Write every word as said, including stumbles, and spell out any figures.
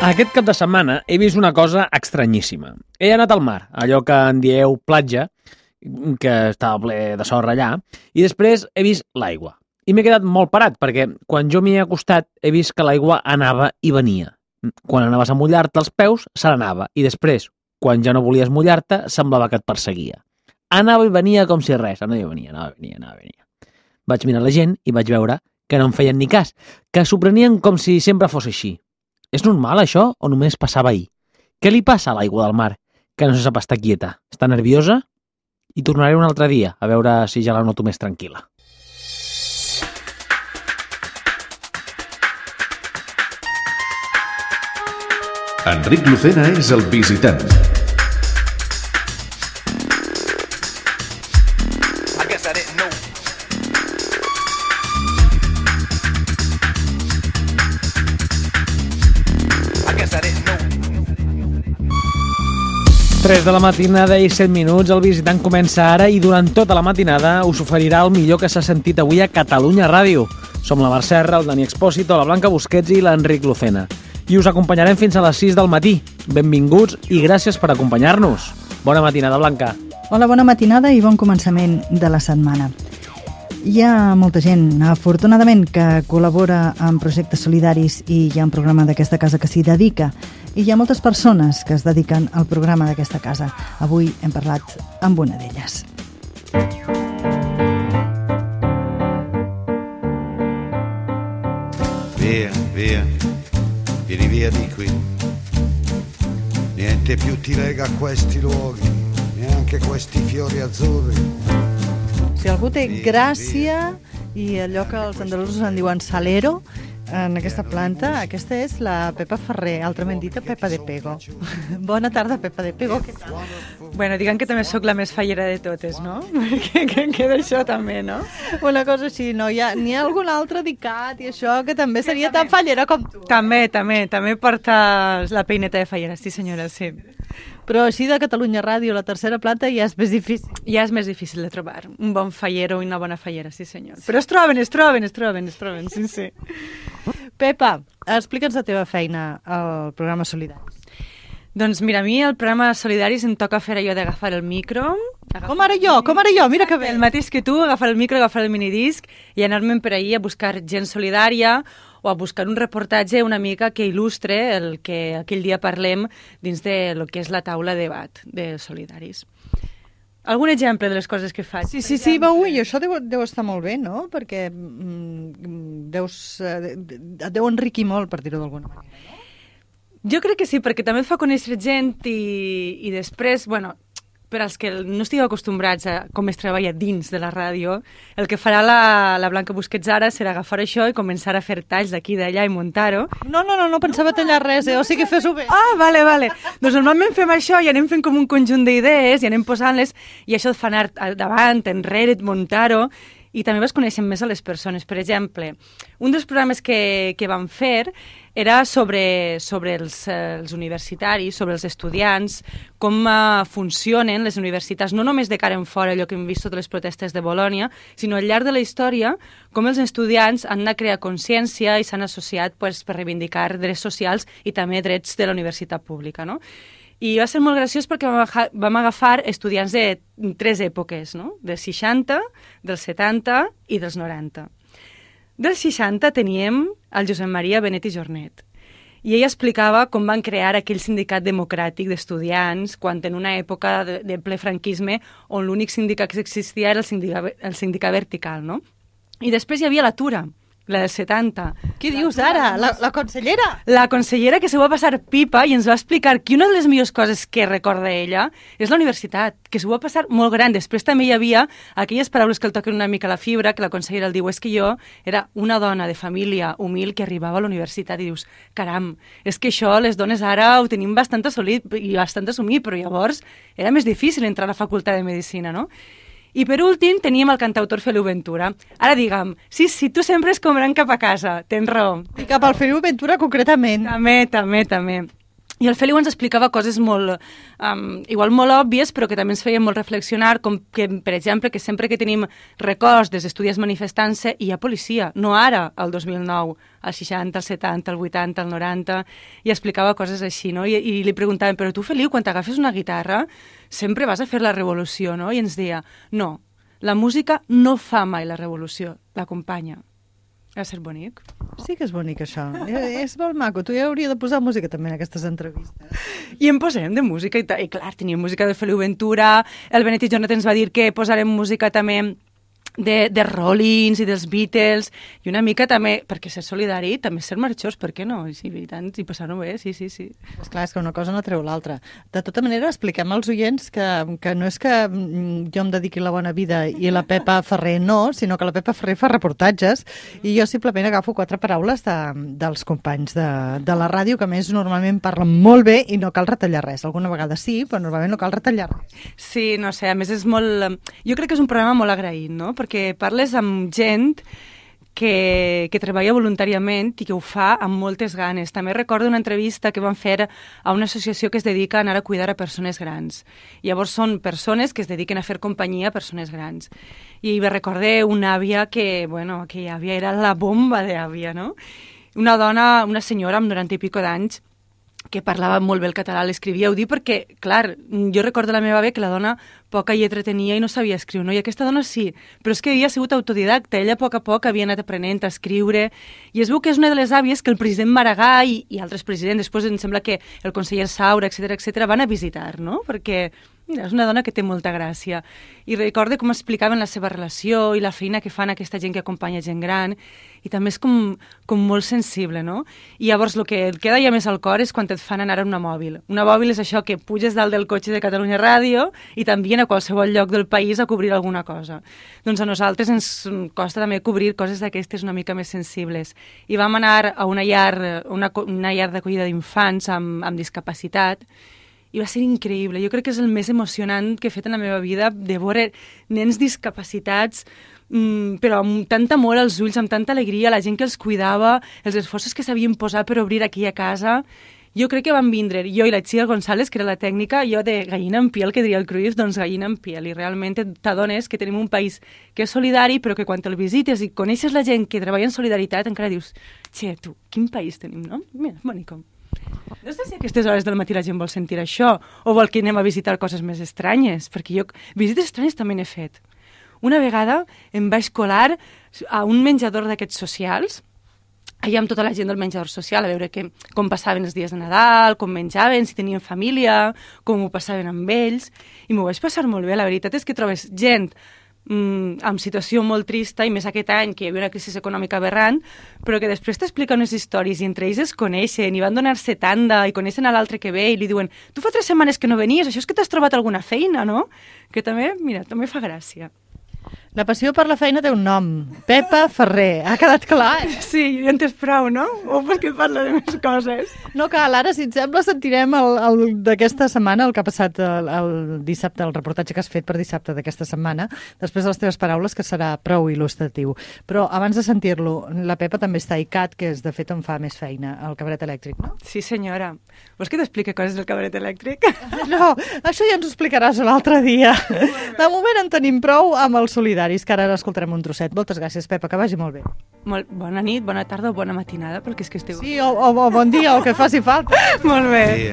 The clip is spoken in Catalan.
Aquest cap de setmana he vist una cosa estranyíssima. He anat al mar, allò que en dieu platja, que estava ple de sorra allà, i després he vist l'aigua. I m'he quedat molt parat, perquè quan jo m'hi he acostat he vist que l'aigua anava i venia. Quan anaves a mullar-te els peus, se n'anava, i després, quan ja no volies mullar-te, semblava que et perseguia. Anava i venia com si res, anava i venia, anava i venia, anava i venia. Vaig mirar la gent i vaig veure que no em feien ni cas, que s'ho prenien com si sempre fos així. És normal, això, o només passava ahir? Què li passa a l'aigua del mar, que no se sap estar quieta? Està nerviosa? I tornaré un altre dia, a veure si ja la noto més tranquil·la. Enric Lucena és el visitant. tres de la matinada i set minuts, el visitant comença ara i durant tota la matinada us oferirà el millor que s'ha sentit avui a Catalunya Ràdio. Som la Mar Serra, el Dani Expósito, la Blanca Busquets i l'Enric Lucena. I us acompanyarem fins a les sis del matí. Benvinguts i gràcies per acompanyar-nos. Bona matinada, Blanca. Hola, bona matinada i bon començament de la setmana. Hi ha molta gent, afortunadament, que col·labora en projectes solidaris i hi ha un programa d'aquesta casa que s'hi dedica. I hi ha moltes persones que es dediquen al programa d'aquesta casa. Avui hem parlat amb una d'elles. Via, via, vieni via di qui. Niente più ti lega a questi luoghi, neanche questi fiori azzurri. Si algú té gràcia i allò que els andalusos en diuen salero, en aquesta planta, aquesta és la Pepa Ferrer, altrament dita Pepa de Pego. Bona tarda, Pepa de Pego. Què tal? Bueno, diguem que també sóc la més fallera de totes, no? Que, que queda això també, no? Una cosa així, no? Hi ha, n'hi ha algun altre dedicat i això que també seria tan fallera com tu. També, també, també porta la peineta de fallera, sí senyora, sí. Però així de Catalunya Ràdio, la tercera planta, ja és més difícil. Ja és més difícil de trobar un bon fallero i una bona fallera, sí senyor. Però es troben, es troben, es troben, es troben, sí, sí. Pepa, explica'ns la teva feina al programa Solidaris. Doncs mira, a mi el programa Solidaris em toca fer allò d'agafar el micro... Com ara jo, com ara jo, mira que bé. El mateix que tu, agafar el micro, agafar el minidisc i anar-me'n per ahir a buscar gent solidària o a buscar un reportatge una mica que il·lustre el que aquell dia parlem dins de lo que és la taula de debat de Solidaris. Algun exemple de les coses que faig? Sí, sí, sí, va, ui, això deu, deu estar molt bé, no? Perquè mm, deus, eh, et deu enriquir molt, per dir-ho d'alguna manera, no? Jo crec que sí, perquè també fa conèixer gent i, i després, bueno, per als que no estigueu acostumbrats a com es treballa dins de la ràdio, el que farà la, la Blanca Busquets ara serà agafar això i començar a fer talls d'aquí i d'allà i muntar-ho. No, no, no, no pensava tallar res, eh? O sigui, fes-ho bé. Ah, vale, vale. Doncs normalment fem això i anem fent com un conjunt d'idees i anem posant-les i això et fa anar davant, enrere, muntar-ho i també vas coneixent més a les persones. Per exemple, un dels programes que, que vam fer era sobre, sobre els, els universitaris, sobre els estudiants, com uh, funcionen les universitats, no només de cara en fora, allò que hem vist totes les protestes de Bolònia, sinó al llarg de la història, com els estudiants han de crear consciència i s'han associat pues, per reivindicar drets socials i també drets de la universitat pública, no? I va ser molt graciós perquè vam agafar estudiants de tres èpoques, no? Dels seixanta, dels setanta i dels noranta. Dels seixanta teníem el Josep Maria Benet i Jornet. I ell explicava com van crear aquell sindicat democràtic d'estudiants quan en una època de, de ple franquisme on l'únic sindicat que existia era el sindicat, el sindicat vertical, no? I després hi havia la Tura, la dels setanta. Què dius ara? La, la consellera? La consellera que s'ho va passar pipa i ens va explicar que una de les millors coses que recorda ella és la universitat, que s'ho va passar molt gran. Després també hi havia aquelles paraules que el toquen una mica la fibra, que la consellera el diu, és que jo era una dona de família humil que arribava a la universitat i dius, caram, és que això les dones ara ho tenim bastant assolit i bastant assumit, però llavors era més difícil entrar a la facultat de Medicina, no? I per últim teníem el cantautor Feliu Ventura. Ara digue'm, sí, sí, tu sempre és com anant cap a casa, tens raó. I cap al Feliu Ventura concretament. També, també, també. I el Feliu ens explicava coses molt, um, igual molt òbvies, però que també ens feien molt reflexionar, com que, per exemple, que sempre que tenim records dels estudiants manifestant-se, hi ha policia, no ara, el dos mil nou, al seixanta, al setanta, al vuitanta, al noranta, i explicava coses així, no? I, i li preguntaven, però tu, Feliu, quan t'agafes una guitarra, sempre vas a fer la revolució, no? I ens deia, no, la música no fa mai la revolució, l'acompanya. Ha de ser bonic. Sí que és bonic, això. És molt maco. Tu ja hauria de posar música també en aquestes entrevistes. I en posem de música. I, i clar, tenim música de Feliu Ventura, el Benet i Jonathan ens va dir que posarem música també de, de Rollins i dels Beatles, i una mica també, perquè ser solidari també ser marxós, per què no? I, sí, i tant, i passar-ho bé, sí, sí, sí. És clar, és que una cosa no treu l'altra. De tota manera, expliquem als oients que, que no és que jo em dediqui la bona vida i la Pepa Ferrer no, sinó que la Pepa Ferrer fa reportatges i jo simplement agafo quatre paraules de, dels companys de, de la ràdio, que a més normalment parlen molt bé i no cal retallar res. Alguna vegada sí, però normalment no cal retallar res. Sí, no sé, a més és molt... Jo crec que és un programa molt agraït, no? Perquè parles amb gent que, que treballa voluntàriament i que ho fa amb moltes ganes. També recordo una entrevista que van fer a una associació que es dedica a anar a cuidar a persones grans. Llavors són persones que es dediquen a fer companyia a persones grans. I me recordé una àvia que, bueno, aquella àvia era la bomba d'àvia, no? Una dona, una senyora amb noranta i pico d'anys, que parlava molt bé el català, l'escrivia, ho dic perquè, clar, jo recordo la meva àvia que la dona poca lletra tenia i no sabia escriure, no? I aquesta dona sí, però és que havia sigut autodidacta, ella a poc a poc havia anat aprenent a escriure, i es veu que és una de les àvies que el president Maragall i, i altres presidents, després em sembla que el conseller Saura, etcètera, etcètera, van a visitar, no? Perquè, mira, és una dona que té molta gràcia. I recordo com explicaven la seva relació i la feina que fan aquesta gent que acompanya gent gran, i també és com, com molt sensible, no? I llavors el que et queda ja més al cor és quan et fan anar a una mòbil. Una mòbil és això, que puges dalt del cotxe de Catalunya Ràdio i t'envien a qualsevol lloc del país a cobrir alguna cosa. Doncs a nosaltres ens costa també cobrir coses d'aquestes una mica més sensibles. I vam anar a una llar, una, una llar d'acollida d'infants amb, amb discapacitat, i va ser increïble. Jo crec que és el més emocionant que he fet en la meva vida, de veure nens discapacitats, mmm, però amb tant amor als ulls, amb tanta alegria, la gent que els cuidava, els esforços que s'havien posat per obrir aquella casa. Jo crec que van vindre, jo i la Txia González, que era la tècnica, jo de gallina en piel, que diria el Cruyff, doncs gallina en piel, i realment t'adones que tenim un país que és solidari, però que quan te'l visites i coneixes la gent que treballa en solidaritat, encara dius, xe, tu, quin país tenim, no? Mira, bonico. No sé si a aquestes hores del matí la gent vol sentir això o vol que anem a visitar coses més estranyes, perquè jo visites estranyes també n'he fet. Una vegada em vaig colar a un menjador d'aquests socials, allà amb tota la gent del menjador social, a veure que, com passaven els dies de Nadal, com menjaven, si tenien família, com ho passaven amb ells, i m'ho vaig passar molt bé. La veritat és que trobes gent Mm, amb situació molt trista, i més aquest any que hi havia una crisi econòmica aberrant, però que després t'explica unes històries i entre ells es coneixen i van donar-se tanda i coneixen a l'altre que ve i li diuen, tu fa tres setmanes que no venies, això és que t'has trobat alguna feina, no? Que també, mira, també fa gràcia. La passió per la feina té un nom, Pepa Ferrer, ha quedat clar? Eh? Sí, ja en tens prou, no? O perquè parla de més coses? No cal, ara, si et sembla, sentirem el, el d'aquesta setmana, el que ha passat el, el dissabte, el reportatge que has fet per dissabte d'aquesta setmana, després de les teves paraules, que serà prou il·lustratiu. Però abans de sentir-lo, la Pepa també està a I C A T, que és de fet on fa més feina, el cabaret elèctric, no? Sí, senyora. Vols que t'expliqui coses del cabaret elèctric? No, això ja ens ho explicaràs un altre dia. De moment en tenim prou amb els solidaris, que ara escoltarem un trosset. Moltes gràcies, Pepa, que vagi molt bé. Molt bona nit, bona tarda o bona matinada, pel que és que esteu... Sí, o, o, o bon dia, o que faci falta. Molt bé.